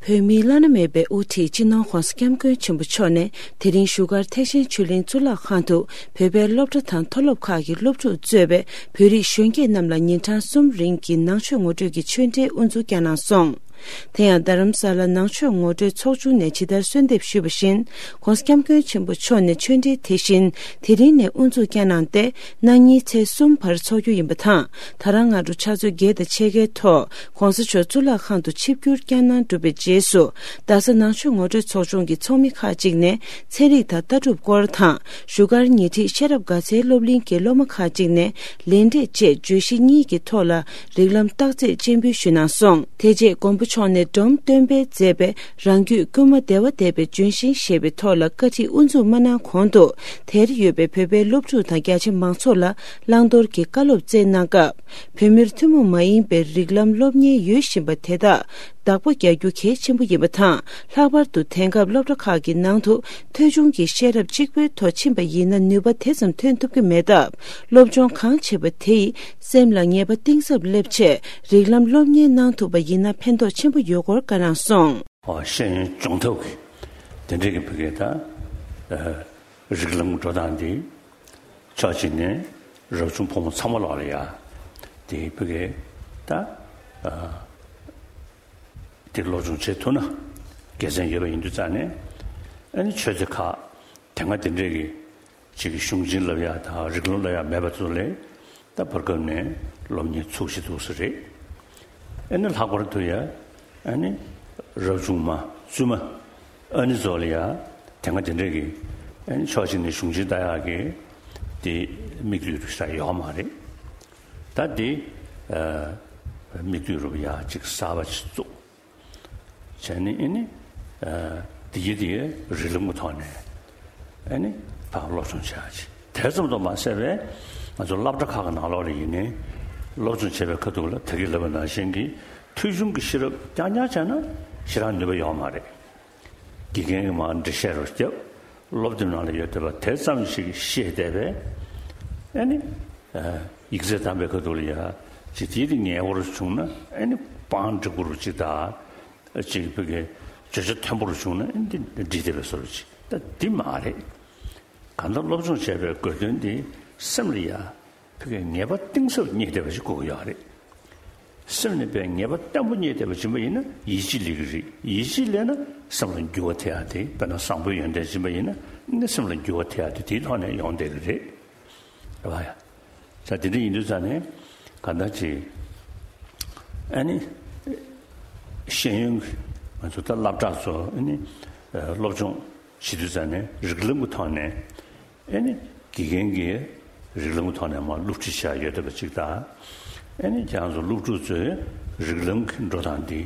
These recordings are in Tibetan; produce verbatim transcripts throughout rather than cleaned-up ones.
བོད་མིའི་བླ་ན་མེད་པའི་དབུ་ཁྲིད་སྤྱི་ནོར་༧གོང་ས་༧སྐྱབས་མགོན་ཆེན་པོ་མཆོག་ནས་དེ་རིང་བཞུགས་སྒར་ཐེག་ཆེན་ཆོས་གླིང་གཙུག་ལག་ཁང་དུ་བོད་པའི་སློབ་གྲྭ་དང་མཐོ་སློབ་ཁག་གི་སློབ་ཕྲུག་གཙོས་པའི་བོད་རིགས་གཞོན་སྐྱེས་རྣམས་ལ་ཉིན་གྲངས་གསུམ་རིང་གི་ནང་ཆོས་ངོ་སྤྲོད་ཀྱི་ཆོས་འབྲེལ་དབུ་འཛུགས་བསྐྱངས་གནང་སོང་། དེ་ཡང་རྡ་རམ་ས་ལ་ནང་ཆོས་ངོ་སྤྲོད་ཚོགས་ཆུང་ནས་ཇི་ལྟར་གསོལ་འདེབས་ཞུས་པ་བཞིན། ༸གོང་ས་༸སྐྱབས་མགོན་ཆེན་པོ་མཆོག་ནས་ཆོས་འབྲེལ་དེ་བཞིན་དེ་རིང་ནས་དབུ་འཛུགས་བསྐྱངས་གནང་སྟེ། གནངས་ཉིན་ཚེས་གསུམ་བར་འཚོགས་རྒྱུ་ཡིན་པ་དང་། ད་རང་སྔ་དྲོ་ཕྱག་ཚོད་བརྒྱད་དང་ཕྱེད་ཀའི་ཐོག་༸གོང་ས་མཆོག་གཙུག་ལག་ཁང་དུ་ཆིབས་བསྒྱུར་བསྐྱངས་གནང་གྲུབ་པའི་རྗེས་སུ། རྡ་ས་ནང་ཆོས་ངོ་སྤྲོད་ཚོགས་ཆུང་གི་ཚོགས་མི་ཁག་ཅིག་ནས་ཚན་རིག་དང་ལྟ་གྲུབ་སྐོར་དང་། བཞུགས་སྒར་ཉེ་འཁྲིས་ཤེས་རབ་དགའ་ཚལ་སློབ་གླིང་གི་སློབ་མ་ཁག་ཅིག་ནས་ལེགས་འགྲེལ་བཅས་བརྗོད་གཞི་གཉིས་ཀྱི་ཐོག་ལ་རིགས་ལམ་བརྟག་དཔྱད་སྤྱན་འབུལ་ཞུས་གནང་སོང་། དེ་རྗེས་མགོན་པོ་མཆོག་ནས་སྒྲོམ་སྟོན་པས་མཛད་པའི་རང་རྒྱུད་བསྐུལ་མ་བདེ་བ་འདེབས་པའི་ལྗོན་ཤིང་ཞེས་པའི་ཐོག་ལ་བཀའ་ཁྲིད་དབུ་འཛུགས་མ་གནང་གོང་དུ། དེར་ཡོད་པའི་བོད་པའི་སློབ་ཕྲུག་དང་རྒྱ་ཆེ་མང་ཚོགས་ལ་བླང་དོར་གྱི་བཀའ་སློབ་སྩལ་གནང་སྐབས། བོད་མིར་ཐུན་མོང་མ་ཡིན་པའི་རིགས་ལམ་སློབ་གཉེར་ཡོད་བཞིན་པ་དེ་དག་བདག་པོ་རྒྱག་རྒྱུ་གལ་ཆེན་པོ་ཡིན་པ་དང་། ལྷག་པར་དུ་དེང་སྐབས་སློབ་གྲྭ་ཁག་གི་ནང་དུ་ཐོས་བྱུང་གི་ཤེས་རབ་གཅིག་པུའི་ཐོག་ཕྱིན་པ་ཡིན་ན་ནུས་པ་དེ་ཙམ་ཐོན་ཐུབ་ཀྱི་མེད་སྟབས། སློབ་སྦྱོང་གང་བྱེད་པ་དེ་ཡིས་སེམས་ལ་ངེས་པ་གཏིང་ཟབ་སླེབས་ཆེད་རིགས་ལམ་སློབ་གཉེར་གནང་ཐུབ་པ་ཡིན་ན་ཕན་ཐོགས་ཆེན་པོ་ཡོད་སྐོར་བཀའ་གནང་སོང་། ཨོ་ཤེས་ཡོན་སྦྱོང་ཐབས་ཀྱི་དེ་འདྲའི་གི་བི་གེ་ད་རིགས་ལམ་འགྲོ་སྟངས་འདི་ཕྱོགས་གཅིག་ནས་རབ་བྱུང་ཕོ་མོ་ཚང་མ་ལོག་ལ་ཡ་དེ་བི་གེ་ད་དེ་སློབ་སྦྱོང་བྱེད་ཐུབ་ན་དགེ་མཚན་ཡོད་པ་ཡིན་དུས་ཙང་ནས། ཨ་ནི་ཆོས་རྗེ་ཁག་དེ་སྔ་དེ་འདྲའི་གི་ཅིག་གཞུང་ཆེན་བསླབ་ཡག་དང་རིགས་ལམ་བསླབ་ཡག་མེད་པ་ཚོ་ལས་ད་བར་སྐབས་ནས་སློབ་གཉེར་ཚུགས་ཤིག་འདུག་ས་རེད། ཨ་ནི་ལྷག་པར་དུ་ཡ་ཨ་ནི་རབ་བྱུང་མ་བཙུན་མ་ཨ་ནི་ཚོ་ལ་ཡ་དེ་སྔ་དེ་འདྲའི་གི་ཨ་ནི་ཕྱོགས་གཅིག་ནས་གཞུང་ཆེན་ལྟ་ཡག་གི་དེ་དམིགས་ཡུལ་རུ་ཤ་ཡོད་མ་རེད། ད་དེ་དམིགས་ཡུལ་རུ་ཡ་ཅིག་གསར་པ་ཅིག་བཙུགས། བྱས་ནས་ཨེ་ནི། ཨ་དེ་གི་དེ་རིགས་ལམ་གྱི་ཐོག་ནས་ཨེ་ནི་ཕར་སློབ་སྦྱོང་བྱ་ཡག་ཅིག་དེ་ཙམ་དུ་མ་ཟད་པའི་ང་ཚོ་སློབ་གྲྭ་ཁག་གི་ནང་ལོགས་ལ་ཡིན་ནའི་སློབ་སྦྱོང་བྱེད་པའི་ཁ་ཐུག་ལ་ད་གིན་ལབ་པ་ནང་བཞིན་གྱི་ཐོས་བྱུང་གི་ཤེས་རབ་རྐྱང་རྐྱང་བྱས་ན་ཞེ་དྲག་ནུས་པ་ཡོད་མ་རེད། དགེ་རྒན་གྱིས་མར་འགྲེལ་བཤད་རོགས་བརྒྱབ། སློབ་དེབ་ནང་ལ་ཡོད་བསྡད་པ་དེ་ཙམ་ཞིག་ཤེས་བསྡད་པས། ཨེ་ནི། ཨ་ཡིག་ཚད་བདམས་པའི་ཁ་ཐུག་ལ་ཡ་ཅིག་དེའི་དེ་ངེས་པར་བྱུང་ན་ཨེ་ནི་པང་འགྲིག་པོ་རུ་ཅིག་དང་། ཅིག་བོད་སྐད་བརྗོད་བྱ་མཐོན་པོ་རུ་བྱུང་ན་ཨེ་ནི་འདི་འགྲིག་བསྡད་པའི་བཟོ་འདྲ་ཅིག་ད་འདི་མ་རེད། གང་ལྟར་སློབ་སྦྱོང་བྱས་པའི་དགོས་དོན་འདི་སེམས་ལ་ཡ་བོད་སྐད་ངེས་པ་གཏིང་ཟབ་རྙེད་བསྡད་པ་ཞིག་དགོས་ཀྱི་ཡོད་རེད། སེམས་ནས་པའི་ངེས་པ་བརྟན་པོ་རྙེད་བསྡད་པ་ཡིན་པ་ཡིན་ན་ཡིད་ཆེས་སླེབས་ཀྱི་རེད། ཡིད་ཆེས་སླེབས་ན་སེམས་ལ་འགྱུར་བ་ཐེབས་ཡག་དེ་དཔེར་ན་བཟང་པོའི་ཡོན་ཏན་ཡིན་པ་ཡིན་ན་ནི་སེམས་ལ་འགྱུར་བ་ཐེབས་ཡག་དེ་དེའི་ཐོག་ནས་ཡོང་བསྡད་ཀྱི་རེད། རེད་བ་ཡ། ས་དེ་འདྲ་ཡིན་དུས་ཙང་ནས་གང་ལྟར་ཅིག་ཨ་ནི་ཤེས་ཡོན་གྱི་ང་ཚོ་ད་སློབ་གྲྭ་ཚོ་ཨ་ནི་སློབ་སྦྱོང་བྱེད་དུས་ཙང་ནས་རིགས་ལམ་གྱི་ཐོག་ནས། ཨེ་ནི་དགེ་རྒན་གྱིས་རིགས་ལམ་གྱི་ཐོག་ནས་མར་སློབ་ཁྲིད་བྱས་ཡོད་བསྡད་པ་ཅིག་དང་། ཨེ་ནི་ཁྱེད་རང་ཚོ་སློབ་ཕྲུག་ཚོས་རིགས་ལམ་གྱི་འགྲོ་སྟངས་འདི་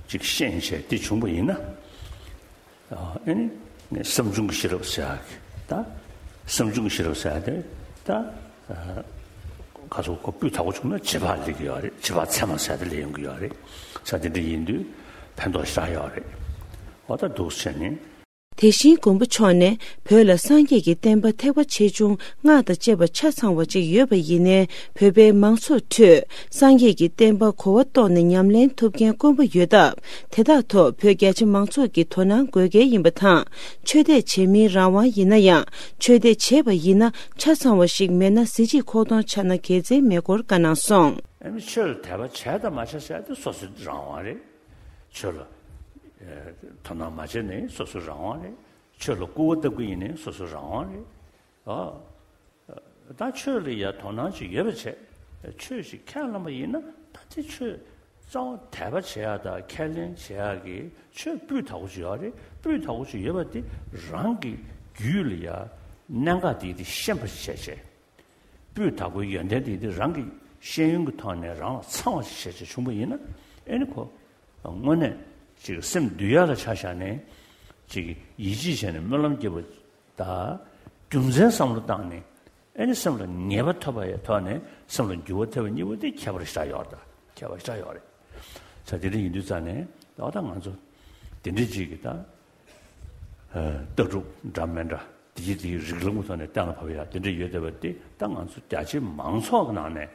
ཅིག་ཤེས་བྱས་འདི་བྱུང་པ་ཡིན་ན། ཨེ་ནི་བསམ་བྱུང་གི་ཤེས་རབ་ཟེར་ཡག་གི་ད་བསམ་བྱུང་གི་ཤེས་རབ་ཟེར་ཡག་དེ་ད་ཁ་སོ་ཁོ་སྤུས་དག་པོ་བྱུང་ན་བྱེད་པ་སླེབས་ཀྱི་ཡོད་རེད། བྱེད་པ་ཚད་མ་ཟེར་ཡག་དེ་སླེབས་ཡོང་གི་ཡོད་རེད། ས་དེ་འདྲ་ཡིན་དུས་ཕན་ཐོགས་ཞེ་དྲག་ཡོད་རེད། འོ་ད་འདུག་སེ་བྱས་ནས། དེ་བཞིན་མགོན་པོ་མཆོག་ནས་བོད་ལ་སངས་རྒྱས་ཀྱི་བསྟན་པ་ཐེག་པ་ཆེ་ཆུང་སྔགས་དང་བཅས་པ་ཆ་ཚང་བ་ཅིག་ཡོད་པ་ཡིན་ནའི་བོད་པའི་མང་ཚོགས་ཁྲོད་སངས་རྒྱས་ཀྱི་བསྟན་པ་གོ་བ་རྟོགས་ནས་ཉམས་ལེན་ཐུབ་མཁན་དཀོན་པོ་ཡོད་སྟབས། དེ་དག་ཐོག་བོད་རྒྱ་ཆེ་མང་ཚོགས་ཀྱི་དོ་སྣང་དགོས་གལ་ཡིན་པ་དང་། ཆོས་དད་བྱེད་མིན་རང་དབང་ཡིན་ན་ཡང་། ཆོས་དད་བྱས་པ་ཡིན་ན་ཆ་ཚང་བ་ཞིག་མེད་ན་གཟི་བརྗིད་ཁོག་སྟོང་ཆགས་ན་དགེ་མཚན་མེད་སྐོར་བཀའ་གནང་སོང་། ཨ་ནི་ཆོས་ལ་དད་པ་བྱས་དང་མ་བྱས་ཟེར་ཡག་དེ་སོ་སོའི་རང་དབང་རེད། ཆོས་ལ་ཨེ་དོ་སྣང་མ་བྱས་ནའི་སོ་སོའི་རང་དབང་རེད། ཆོས་ལ་སྐུར་བ་བཏབ་ཀྱི་ཡིན་ནའི་སོ་སོའི་རང་དབང་རེད། ཨ་ད་ཆོས་ལ་ཡ་དོ་སྣང་ཅིག་ཡོད་པ་བྱས། ཆོས་ཤིག་ཁས་བླངས་པ་ཡིན་ན་ད་དེ་ཆོས་རྩ་བ་དད་པ་བྱེད་ཡག་དང་ཁས་ལེན་བྱེད་ཡག་གི་ཆོས་སྤུས་དག་པོ་ཅིག་ཡོད་རེད། སྤུས་དག་པོ་ཅིག་ཡོད་པ་དེ་རང་གི་རྒྱུད་ལ་ཡ་གནད་འགག་དེ་དེ་ཤེས་པ་ཞིག་བྱས་བྱས། སྤུས་དག་པོའི་ཡོན་ཏན་དེ་དེ་རང་གི་ཤེས་ཡོན་གྱི་ཐོག་ནས་རང་ལ་ཚང་བ་ཞིག་བྱས་བྱས་བྱུང་པ་ཡིན་ན། ཨེ་ནི་ཁོ་དངོས་གནས་ཅིག་སེམས་འདུལ་ཡག་ལ་ཆ་བཞག་ནས་ཅིག་ཡིད་ཆེས་བྱས་ནས་སྨོན་ལམ་བརྒྱབ་པ་དང་། རྒྱུ་མཚན་བསམ་བློ་བཏང་ནས་ཨེ་ནི་སེམས་ལ་ངེས་པ་ཐོབ་པའི་ཐོག་ནས་སེམས་ལ་འགྱུར་བ་ཐེབས་པ་གཉིས་པོ་དེ་ཁྱད་པར་ཞེ་དྲག་ཡོད་རེད། ད་ཁྱད་པར་ཞེ་དྲག་ཡོད་རེད། ས་དེ་འདྲ་ཡིན་དུས་ཙང་ནས་ད་ང་ཚོ་དེ་འདྲ་ཅིག་གི་ད། ལྟ་གྲུབ་འདྲ་མི་འདྲ་དེ་གི་དེའི་རིགས་ལམ་གྱི་ཐོག་ནས་གཏན་ལ་ཕབ་ཡག་དེ་འདྲ་ཡོད་བསྡད་པ་དེ་ད་ང་ཚོ་རྒྱ་ཆེའི་མང་ཚོགས་ཀྱི་ནང་ནས་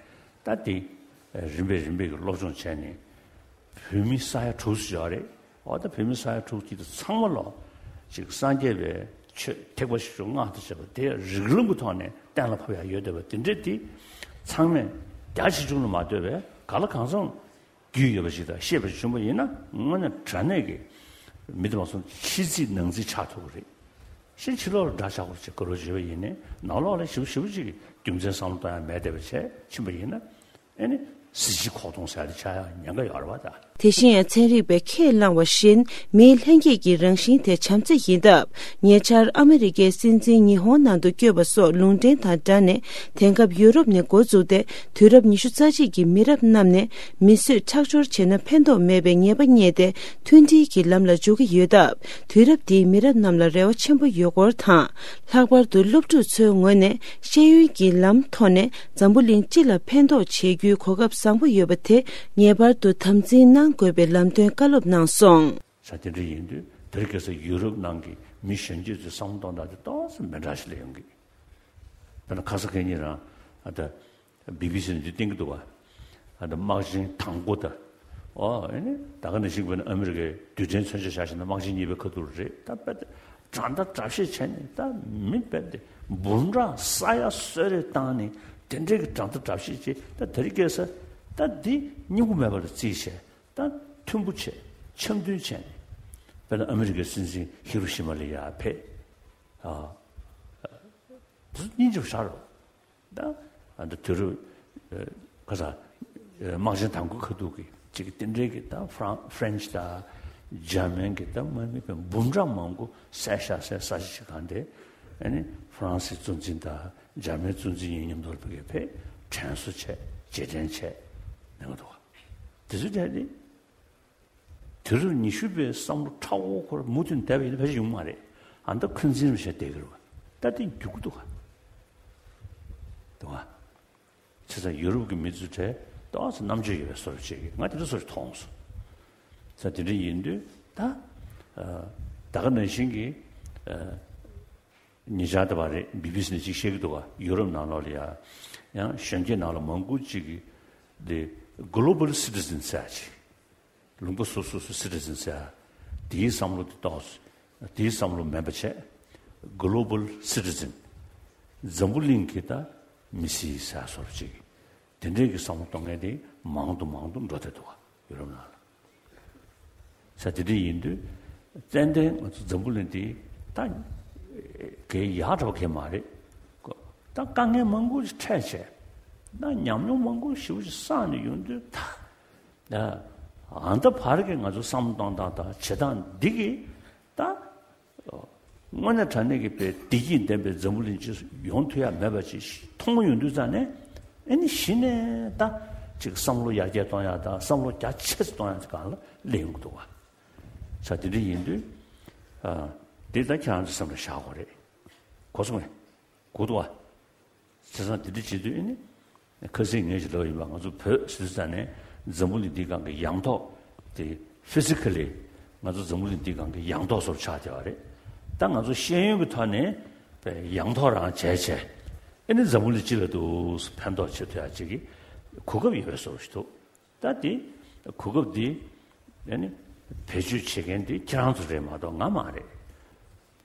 ད་དེ་རིམ་པས་རིམ་པས་ཀྱི་སློབ་སྦྱོང་བྱས་ནས་བོད་མི་ས་ཡ་དྲུག་ཙམ་ཡོད་རེད། འོ་ད་བོད་མི་ས་ཡ་དྲུག་ཅུ་དེ་ཚང་མ་ལོ་ཅིག་སངས་རྒྱས་པའི་ཆོས་ཐེག་པ་བཞི་པོ་སྔགས་དང་བཅས་པ་དེ་རིགས་ལམ་གྱི་ཐོག་ནས་གཏན་ལ་ཕབ་ཡ་ཡོད་བསྡད་པ་དེ་འདྲས་དེ་ཚང་མས་རྒྱ་ཆེ་ཆུང་ལ་མ་ལྟོས་པའི་ག་ལ་གང་འཚམ་རྒྱུས་ཡོད་པ་ཞིག་དང་ཤེས་པ་ཞིག་བྱུང་བ་ཡིན་ན་དངོས་གནས་དྲང་གནས་ཀྱི་མི་དེ་མ་སོང་ཕྱི་རྩིས་ནང་རྩིས་ཆགས་ཐུབ་ཀྱི་རེད། ཕྱིན་ཕྱི་ལོགས་ལ་དགྲ་ཆགས་པོ་ཅིག་དགའ་རོགས་བྱེད་པ་ཡིན་ནའི་ནང་ལོགས་ལ་ཞིབ་ཞིབ་ཅིག་རྒྱུ་མཚན་བསམ་བློ་གཏོང་ཡ་མེད་བསྡད་པ་བྱས་ཕྱིན་པ་ཡིན་ན་ཨེ་ནི་གཟི་བརྗིད་ཁོག་སྟོང་ཟེར་ཡ་དེ་ཆགས་ཡ་ཉེན་ཁ་ཡོད་རེད་བ་ད། དེ་བཞིན་ཡང་ཚན་རིག་པས་ཁས་བླངས་པ་བཞིན་མིའི་ལྷན་སྐྱེས་ཀྱི་རང་བཞིན་དེ་བྱམས་བརྩེ་ཡིན་སྟབས། ཉེ་ཆར་ཨ་མི་རི་ཀའི་སྲིད་འཛིན་ཉི་ཧོང་ནང་དུ་བསྐྱོད་པ་སོགས་ལུང་འདྲེན་དང་སྦྲགས་ནས་དེང་སྐབས་ཡུ་རོབ་ནས་འགོ་བཙུགས་ཏེ་དུས་རབས་ཉི་ཤུ་རྩ་གཅིག་གི་མི་རབས་རྣམས་ནས་མི་གསོད་ཁྲག་སྦྱོར་བྱས་ན་ཕན་ཐོགས་མེད་པའི་ངེས་པ་རྙེད་དེ་མཐུན་སྒྲིལ་གྱི་ལམ་ལ་འཇུག་གི་ཡོད་སྟབས། དུས་རབས་འདིའི་མི་རབས་རྣམས་ལ་རེ་བ་ཆེན་པོ་ཡོད་སྐོར་དང་། ལྷག་པར་དུ་སློབ་ཕྲུག་ཚོའི་ངོས་ནས་ཤེས་ཡོན་གྱི་ལམ་ཐོག་ནས་འཛམ་བུ་གླིང་སྤྱི་ལ་ཕན་ཐོགས་བྱེད་རྒྱུའི་གོ་སྐབས་བཟང་པོ་ཡོད་པ་དེ་ངེས་པར་དུ་དམ་འཛིན་གནང་དགོས་པའི་ལམ་སྟོན་བཀའ་སློབ་གནང་སོང་། ས་དེ་འདྲ་ཡིན་དུས་དེ་རིང་ཁ་སང་ཡུ་རོབ་ནང་གི་མི་གཞོན་སྐྱེས་ཚོའི་བསམ་བློ་གཏོང་སྟངས་དེ་ཏོག་ཙམ་མི་འདྲ་ཞིག་སླེབས་ཡོང་གི། དཔེར་ན་ཁ་ས་ཁེ་ཉིན་རང་ཨ་ད་བི་བི་སི་ནས་འདི་བསྟན་གྱི་འདུག་བ། ཨ་ད་དམག་ཆེན་དང་པོ་ད། ཨོ་ཨེ་ནི་ད་ག་ནང་བཞིན་དཔེར་ན་ཨ་མི་རི་ཀའི་རྡུལ་ཕྲན་མཚོན་ཆ་བཞག་བཞག་ན་དམག་ཆེན་གཉིས་པའི་ཁ་ཐུག་རེད་ད། དཔེ་ད་དགྲ་ཟླ་དགྲ་བཤེད་བྱས་ནས་ད་མི་དཔེ་དེ་འབུམ་ཕྲག་ས་ཡ་གསོད་རེས་བཏང་ནས་དེ་འདྲའི་གི་དགྲ་ཟླ་དགྲ་བཤེད་བྱས་ད་དེ་རིང་ཁ་སང་ད་འདི་སྙིང་པོ་མེད་པ་ལ་རྩིས་བྱས། ད་མཐུན་པོ་བྱས། འཆམ་མཐུན་བྱས་ནས། དཔེར་ན་ཨ་མི་རི་ཀའི་སྲིད་འཛིན་ཧི་རོ་ཤི་མ་ལ་ཡར་ཕེབས། ཨ། དེ་ཚོ་སྙིང་རྗེ་པོ་ཞེ་དྲག་རེད། ད་ཨ་ད་དུས་རབས་ཨ་ག་ས་ཨ་དམག་ཆེན་དང་པོའི་ཁ་ཐུག་གི་ཅིག་དེ་འདྲའི་གི་ད་ཧྥ་རན་ཧྥ་རན་ཆི་དང་འཇར་མན་གི་ད་དམག་མི་དཔེ་འབུམ་ཕྲག་མང་པོ་བསད་བཞག་བསད་ས་ཞིག་གང་དེ། ཨ་ནི་ཧྥ་རན་སིའི་གཙོ་འཛིན་དང་འཇར་མན་གཙོ་འཛིན་གཉིས་མཉམ་དུ་ཕ་གིར་ཕེབས། དྲན་གསོ་བྱས། རྗེས་དྲན་བྱས་གནང་གི་འདུག་ག། དེ་ཚོའི་གྲས་ནི། དུས་རབས་ཉི་ཤུ་པའི་བསམ་བློ་ཁྲ་བོ་ཁོ་ར་མུ་མཐུད་བསྡད་པ་ཡིན་ན་ཕལ་ཆེར་ཡོང་མ་རེད། ཨ་ད་འཁོན་འཛིན་རུ་བྱས་བསྡད་ཀྱི་རེད་བ། ད་དེ་འགྱུར་གྱི་འདུག་ག། འདུག་ག། བྱས་ཙང་ཡུ་རོབ་ཀྱི་མི་ཚོའི་གྲས་ཏོག་ཙམ་རྣམ་དཔྱོད་ཡོད་པའི་བཟོ་འདྲ་བྱེད་ཀྱི། ང་དེ་འདྲ་བཟོ་འདྲ་མཐོང་སོང་། ས་དེ་འདྲ་ཡིན་དུས་ད། ཨ་ད་ག་ནང་བཞིན་གྱི་ཨ་ཉེ་ཆར་ད་བར་རེད། བི་བི་སི་ནས་ཅིག་བཤད་ཀྱི་འདུག་ག། ཡུ་རོབ་ནང་ལོགས་ལ་ཡ་ཡང་གཞོན་སྐྱེས་ནང་ལ་མང་པོ་ཅིག་གིས་དེ་གོ་ལོ་བལ་སི་ཊི་ཛན་ཟེར་ཡ་ཅིག། ལུང་པ་སོ་སོ་སོ་སི་ཊི་ཛན་ཟེར་ཡ། དེའི་བསམ་བློ་དེ་ཏོག་ཙམ་དེའི་བསམ་བློ་མེད་པ་བྱས། གོ་ལོ་བལ་སི་ཊི་ཛན། འཛམ་བུ་གླིང་གི་ད་མི་སེར་ཟེར་ཡ་བཟོ་འདྲ་ཅིག། དེ་འདྲའི་གི་བསམ་བློ་གཏོང་མཁན་དེ་མང་དུ་མང་དུ་འགྲོ་བསྡད་འདུག་ག། ཡུ་རོབ་ནང་ལ། ས་དེ་འདྲ་ཡིན་དུས་ཏན་ཏན་ང་ཚོ་འཛམ་བུ་གླིང་འདི་ད་གལ་ཡག་འདྲ་བ་གལ་མ་རེད། ད་དཀའ་ངལ་མང་པོ་ཞིག་འཕྲད་བྱས། ད་ཉམས་མྱོང་མང་པོ་ཞེ་པོ་ཞིག་བསགས་ནས་ཡོང་དུས་ད། ཨ་ད་བར་གྱི་ང་ཚོ་བསམ་བློ་གཏོང་སྟངས་དང་བྱེད་སྟངས་འདི་གིས་ད། དངོས་གནས་དྲང་གནས་ཀྱི་དཔེ་བདེ་སྐྱིད་ལྡན་པའི་འཛམ་བུ་གླིང་ཅིག་ཡོང་ཐུབ་ཡ་མེད་པ་ཅིག་མཐོང་ཡོང་དུས་ཙང་ནས། ཨེ་ནི་གཞི་ནས་ད་ཅིག་བསམ་བློ་ཡར་རྒྱས་གཏོང་ཡ་དང་བསམ་བློ་རྒྱ་ཆེ་ཙམ་གཏོང་ཡ་ཅིག་སྒང་ལ་སླེབས་ཡོང་གི་འདུག་བ། ས་དེ་འདྲ་ཡིན་དུས། ཨ་འདི་ད་ཁྱེད་རང་ཚོ་སེམས་ལ་བཞག་དགོས་རེད། གོ་སོང་ངས། གོ་འདུག་བ། བྱས་ཙང་དེ་འདྲ་བྱེད་དུས་ཨེ་ནི། ཁ་སང་ངས་ཅིག་ལབ་ཡིན་པ། ང་ཚོ་བོད་ཟེར་དུས་ཙང་ནས་འཛམ་བུ་གླིང་འདིའི་སྒང་གི་ཡང་ཐོག་དེ་ཕི་སི་ཀ་ལི་ང་ཚོ་འཛམ་བུ་གླིང་འདིའི་སྒང་གི་ཡང་ཐོག་བཟོ་འདྲ་ཆགས་བསྡད་པ་རེད། ད་ང་ཚོ་ཤེས་ཡོན་གྱི་ཐོག་ནས་ཡང་ཐོག་རང་བྱས་བྱས། ཨེ་ནི་འཛམ་བུ་གླིང་སྤྱི་ལ་འདུག་ཕན་ཐོགས་བྱེད་ཐུབ་ཡ་ཅིག་གི་གོ་སྐབས་ཡོད་པའི་བཟོ་འདྲ་ཞིག་འདུག། ད་དེ་གོ་སྐབས་འདི་ཨེ་ནི་བེད་སྤྱོད་བྱེད་མཁན་དེ་ཁྱེད་རང་ཚོ་རེད་མ་གཏོགས་ང་མ་རེད།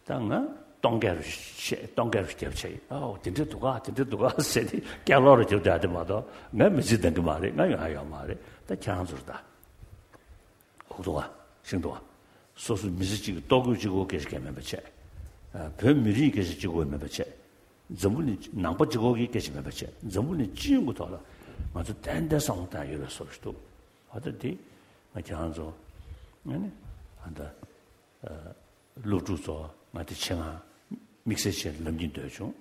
ད་ང་སྟོང་སྐད་རུ་བཤད། སྟོང་སྐད་རུ་རྒྱབ་བྱས། ཨའོ་དེ་འདྲ་འདུག་ག། དེ་འདྲ་འདུག་ག་ཟེར་ཏེ་སྐད་ལོག་རུ་རྒྱབ་བསྡད་དེ་མ་གཏོགས་ང་མི་ཚེ་འདང་གི་མ་རེད། ང་ཡོང་ཡ་ཡོད་མ་རེད། ད་ཁྱེད་རང་ཚོར་ད་འུག་འདུག་ག། ཤིང་འདུག་ག། སོ་སོ་མི་ཚེ་གཅིག་གི་ལྟོ་གོས་གཅིག་པོ་སྐད་ཆ་གང་མེད་པ་བྱས། བོད་མི་རིགས་སྐད་ཆ་གཅིག་པོ་མེད་པ་བྱས། འཛམ་བུ་གླིང་ནང་པ་གཅིག་པོ་གི་སྐད་ཆ་མེད་པ་བྱས། འཛམ་བུ་གླིང་སྤྱི་ཡོངས་ཀྱི་ཐོག་ལ་ང་ཚོ་ཏན་ཏན་བསམ་བློ་བཏང་ཡ་ཡོད་པའི་བཟོ་འདྲ་ཞིག་འདུག། འོ་ད་དེ་ང་ཁྱེད་རང་ཚོ་ཨ་ནི་ཨ་ད། སློབ་ཕྲུག་ཚོ་ང་དེ་ཆེད་མངགས་དམིགས་བསལ་བྱས་ལབ་སྙིང་འདོད་བྱུང་།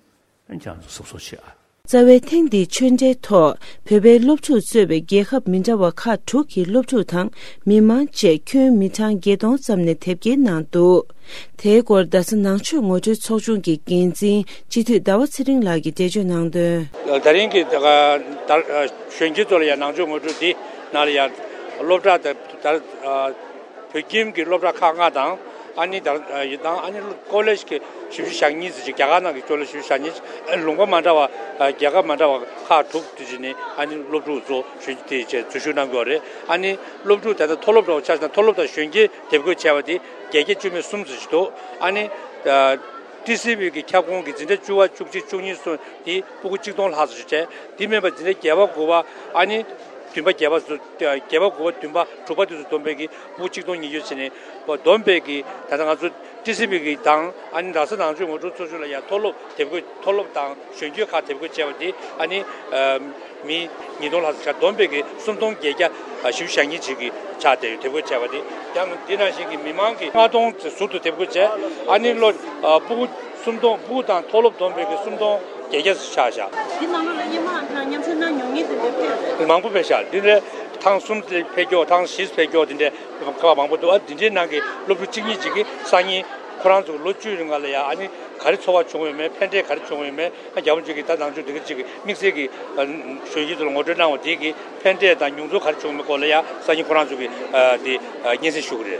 ཨ་ནི་ཁྱེད་རང་ཚོ་གཟབ་གཟབ་བྱེད་ཨ། རྩ་བའི་ཐེངས་འདིའི་ཆོས་འབྲེལ་ཐོག་བོད་པའི་སློབ་ཕྲུག་གཙོས་པའི་རྒྱལ་ཁབ་མི་འདྲ་བ་ཁག་དྲུག་གི་སློབ་ཕྲུག་དང་མི་མང་བཅས་ཁྱོན་མི་གྲངས་བརྒྱད་སྟོང་ཙམ་ནས་དེབ་སྐྱེལ་གནང་འདུག། དེའི་སྐོར་རྡ་ས་ནང་ཆོས་ངོ་སྤྲོད་ཚོགས་ཆུང་གི་འགན་འཛིན་སྤྱི་འཐུས་ཟླ་བ་ཚེ་རིང་ལགས་ཀྱིས་འགྲེལ་བརྗོད་གནང་དོན། ད་རིང་གི་ད་ད་གཞོན་སྐྱེས་ཚོ་ལ་ཡང་ནང་ཆོས་ངོ་སྤྲོད་འདི་ནང་ལ་ཡང་སློབ་གྲྭ་དང་ད་བོད་ཁྱིམ་གྱི་སློབ་གྲྭ་ཁག་ལྔ་དང་ ཨ་ནི་ད་ཡི་དང་ཨ་ནི་ཀོ་ལེཇ་གི་ཞིབ་འཇུག་ཞག་གཉིས་ཙམ་ཅིག་རྒྱ་གར་ནང་གི་ཀོ་ལེཇ་ཞིབ་འཇུག་ཞག་གཉིས་ལུང་པ་མ་འདྲ་བ་རྒྱལ་ཁབ་མ་འདྲ་བ་ཁག་དྲུག་དེ་ཅིག་ནས་ཨ་ནི་སློབ་ཕྲུག་ཚོ་ཞུ་དེ་བྱས་འཛུལ་ཞུགས་གནང་དགོས་རེད། ཨ་ནི་སློབ་ཕྲུག་ད་ལྟ་མཐོ་སློབ་འདྲ་བོ་ཆ་བཞག་ན་མཐོ་སློབ་དང་གཞོན་སྐྱེས་དེབ་འགོད་བྱས་པ་དེ་བརྒྱད་བརྒྱ་བཅུ་མེད་གསུམ་ཙམ་ཞིག་འདུག་ཨ་ནི་ཏི་སི་བི་གི་ཁྱབ་ཁོངས་ཀྱི་འཛིན་གྲྭ་བཅུ་པ་བཅུ་གཅིག་བཅུ་གཉིས་སོགས་དེ་སྤུ་གུ་གཅིག་སྟོང་ལྷག་ཙམ་ཞིག་བྱས། དེ་མིན་པ་འཛིན་གྲྭ་བརྒྱད་པ་དགུ་པ་ཨ་ནི་བདུན་པ་བརྒྱད་པ་སོགས་བརྒྱད་པ་དགུ་པ་བདུན་པ་དྲུག་པ་དེ་ཚོ་བསྡོམས་པའི་གི་སྤུ་གུ་གཅིག་སྟོང་ཉི་ཤུ་བྱས་ནས་བསྡོམས་པའི་གི་ད་ལྟ་ང་ཚོ་ཏི་སི་བི་གི་དང་ཨ་ནི་རྡ་ས་ནང་ཆོས་ངོ་སྤྲོད་ཚོགས་ཆུང་ལ་ཡང་མཐོ་སློབ་དེབ་འགོད་མཐོ་སློབ་དང་གཞོན་སྐྱེས་ཁག་དེབ་འགོད་བྱས་པ་དེ་ཨ་ནི་མི་ཉིས་སྟོང་ལྷག་ཙམ་ཆགས། བསྡོམས་པའི་གི་སུམ་སྟོང་བརྒྱད་བརྒྱ་བཞི་བཅུ་ཞེ་གཉིས་ཅིག་གི་ཆ་དེ་དེབ་འགོད་བྱས་པ་དེ་ཡང་འདི་ནང་བཞིན་གྱི་མི་མང་གི་ལྔ་སྟོང་ཙམ་ཟུར་དུ་དེབ་འགོད་བྱས། ཨ་ནི་ལོ་ཨ་སྤུ་གུ་སུམ་སྟོང་སྤུ་གུ་དང་མཐོ་སློབ་བསྡོམས་པའི་གི་སུམ་སྟོང་བརྒྱད་བརྒྱ་ཙམ་ཆགས་བཞག་འདི་ནང་ལོགས་ལ་སྔོན་མ་ང་མཉམ་ཞུགས་གནང་མྱོང་མཁན་དེ་འདྲ་ཕེབས་རེད། མང་པོ་ཕེབས་ཤག་འདི་འདྲའི་ཐེངས་གསུམ་ཙམ་ཕེབས་མཁན་ཐེངས་བཞི་ཙམ་ཕེབས་མཁན་དེ་འདྲའི་ཁག་མང་པོ་འདུག་ཨ་འདི་འདྲའི་ནང་གི་སློབ་ཕྲུག་གཅིག་གཉིས་ཅིག་གིས་སང་ཉིན་ཁོ་རང་ཚོ་ལོ་བཅུའི་རིང་ལ་ཡ་ཨ་ནི་ག་རེ་ཚོར་བ་བྱུང་ཡོད་མེད། ཕན་འབྲས་ག་རེ་བྱུང་ཡོད་མེད། ཨ་རྒྱ་བོད་ཅིག་གིས་ད་ནང་ཆོས་འདི་ག་ཅིག་གི་དམིགས་བསལ་གྱི་ཨ་གཞོན་སྐྱེས་ཚོ་ལ་ངོ་སྤྲོད་གནང་བ་དེ་གི་ཕན་འབྲས་དང་མྱོང་ཚོར་ག་རེ་བྱུང་མེད་སྐོར་ལ་ཡ་སང་ཉིན་ཁོ་རང་ཚོ་གིས་ཨ་དེ་ཨ་སྙན་སེང་ཞུ་གི་རེད།